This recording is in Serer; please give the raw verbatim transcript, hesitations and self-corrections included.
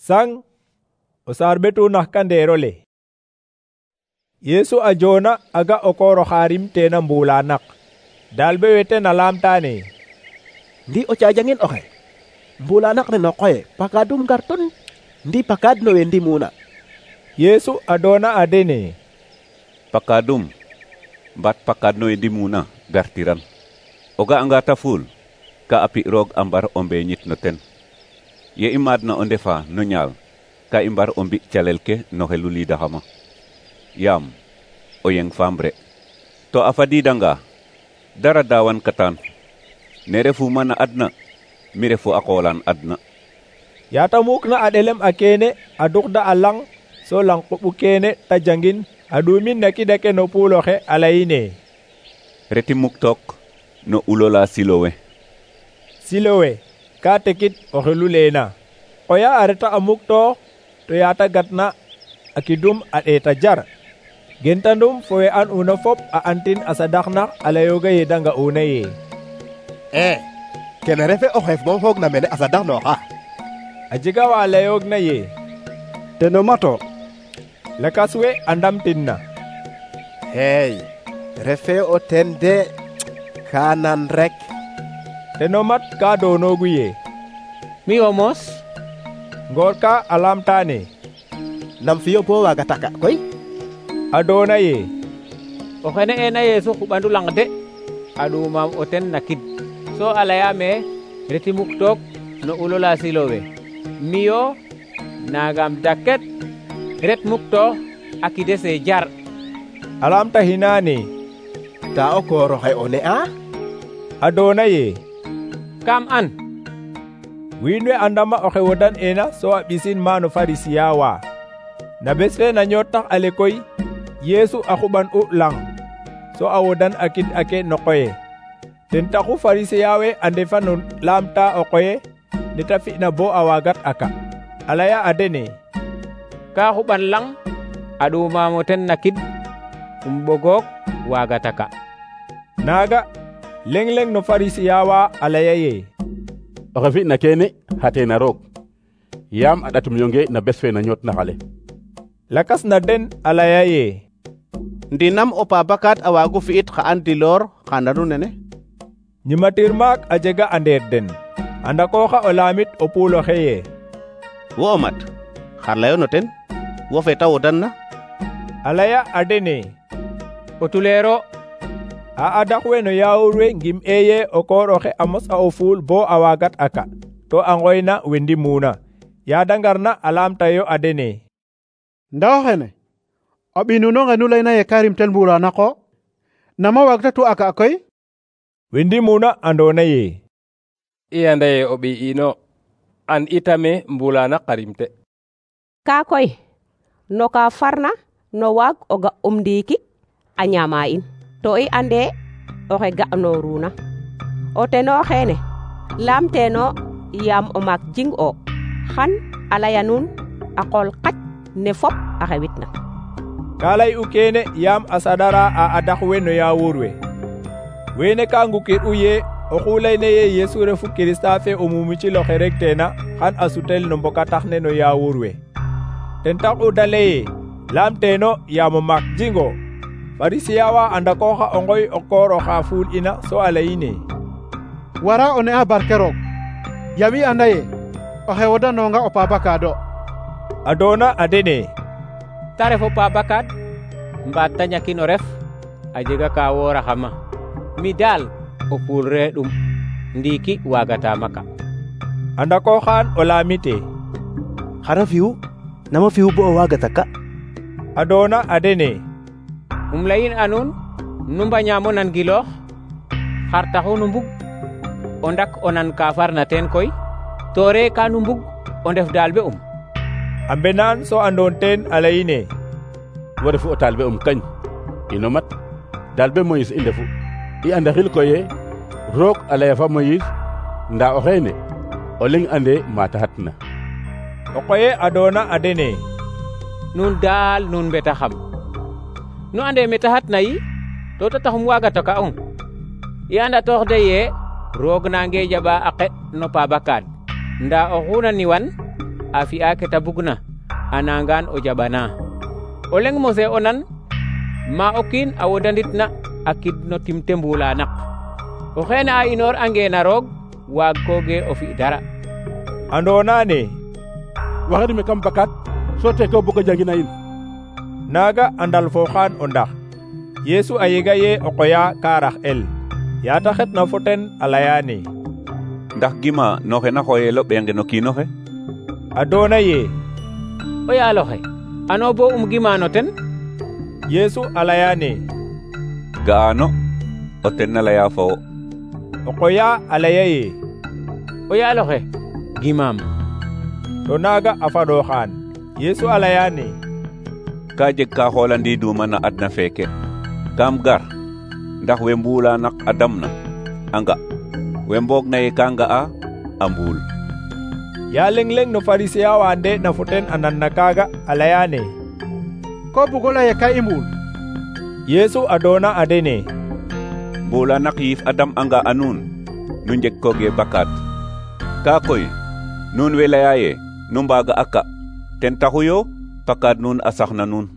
Sang o saar ɓetu nax kandeerole. Yeesu a joona aga o koor oxa rimteena mbuula naq. Dalɓe wete na laamtaane: ndi o caajangen oxe mbuula naq ne no qoye pakadum ngar ton ndi pakad no we ndimuna. Yeesu a doona a dene: pakadum mbaat pakad no we ndimuna gartiran. O ga'anga ta fuul ka a pi roog a mbar o mbeeñit no ten. Ye i maadna o ndefa no ñaal ka i mbar o mbi calel ke no xelu liidaxama. Yaam o yeng faamre to a fadiidanga dara daawan katan ne refu mana adna mi refu a qoolan adna. Yaata muukna a ɗelem a keene a duxda a lang so lang quɓu keene ta jangin a ɗuumin na kidake no puuloxe a layine: reti muktook no ulola Silowe. Silowe ka tekit o xelu leena. Qoya a reta a muktoox to yaata gatna a kidum a ɗeeta jar. Gentandum fo we an una fop a antin a sadaxnax a layooga ye da nga'una ye: e kene refe o xeef moom foog na mene a sadaxnooxa. A jega wa layoog na ye: teno mato. Lakas we a ndamtin na: hey refe o ten de ka nan rek. Teno mat ka doonoogu ye: mi o moos. Ngoor ka a laamtaane: nam fiyo bo waaga taka koy? A doona ye: o xene ena Yeesu xuɓandu lang de a ɗuumam o ten na kid so a layaame reti muktook no ulola Silowe. miyo nagam daket ret muktoox a kidese jar. A laamta hinaane: ta o koor oxe o ne'a? A doona ye: kam an. Wiin we a ndama oxe wodan ena so a ɓisin maano Farisiya wa. Na bes fe na ñootax ale koy Yeesu a xuɓan u lang so a wodan a kid ake no qoye. Ten taxu Farisiya we a ndefa no laamta o qoye neta fi'na bo a waagat aka. A laya a dene: ka xuɓan lang a ɗuumam o ten na kid um ɓogook waaga taka. Naaga leng leng no Farisiya wa a laya ye: oxe fi'na keene xateena roog yaam a ɗatum yonge na bes fe na ñootna xale. Lakas na den a laya ye: ndi nam o paabakat a waagu fi'it xa an diloor xa nanu nene? Ñimatir maak a jega a ndeer den. A ndakooxa o laamit o puuloxe ye: wo o mat xar layo no ten wo fe ta wodanna? A laya a dene: o tuleero. A adax we no yaawur we ngim eye o koor oxe a mos a o fuul bo a waagat aka to a ngoyna we ndimuna. Yaada ngarna a laamtayo a dene: nda o xene o ɓiy nuno nge nu layna ye ka rimtel mbuula naqo nama waagta tu aka koy? We ndimuna andoona ye: i anda ye o ɓiy ino an itame mbuula naq a rimte. Ka koy no ka farna no waag o ga um ndiiki a ñaama in to i ande oxe ga'nooruna. O teno xeene laamteeno yaam o maak jing o xan a laya nuun a qool qac ne fop a xewitna. Ka lay'u keene yaam a saɗara a adax we no yaawur we. Weene ka ngukir'u ye oxu layna ye Yeesu refu Kirista fe o mumicil oxe regteena xan a sutel no mbokatax ne no yaawur we. Ten tax'u da laye laamteeno yaam o maak jingo. Farisiya wa a ndakooxa o ngoy o koor oxa fuul ina so a layine: wara o ne'a barke roog yaam i anda ye oxe wodanonga o paabakaado. A doona a dene: ta ref o paabakaad mbaat ta ñakin o ref a jega ka wooraxama. mi daal o puul re ɗum ndiiki waagata maka. A ndakooxaan o laamite: xara fi'u nama fi'u bo o waaga taka? A doona a dene: um layin a nuun nu mbañaamo nan giloox xar taxu nu mbug o ndak o nan ka farna teen koy to re ka nu mbug o ndef daalbe um. A mbenaan so andoon teen a layine: wo refu o talbe um kañ ino mat dalbe Moïse i ndefu i anda xil koye roog a laya fa Moïse nda o xeene o leng ande mata xatna. O qoye a doona a dene: nuun daal nuun mbeta xam nu ande meta xatna yi to ta taxum waaga toka ong. i anda toox de ye roog nange jaɓa a qe no paabakaad nda oxu na niwan a fi'a ke ta bugna a nangan o jaɓana. O leng mose o nan ma o kiin a wodanitna a kid no timte mbulanak. O xeene a inoor ange na roog waag koge o fi dara. Andona ne waxedi me kam bakat so te ko bugo jangina in. Naga andal fo xaan o ndax Yesu a yega ye o qoya ka rax el yata xetna fo ten a layane ndax gima noxe na xoyelo ɓenge no kiinoxe? a doona ye o yaaloxe ano bo um gima no ten? Yesu a layane ga'ano o ten na leya fo wo. o qoya a laya ye o yaaloxe gimaam. to naga a faɗoxaan Yesu a layane ka jeg ka xolandiduma na adna feke kam gar ndax we mbulanak a damna a nga we mboog na ye ka nga'a a mbuul. ya leng leng no Pharisien wa nde na fo ten a nan na kaga a layane ko bugo leye ka i mbuul. Yesu a doona a dene mbulanak yiif a dam anga a nuun nu njeg koge bakat ka koy nuun we leya ye nu mbaga a ka ten taxu yo pakad nuun a sax na nuun.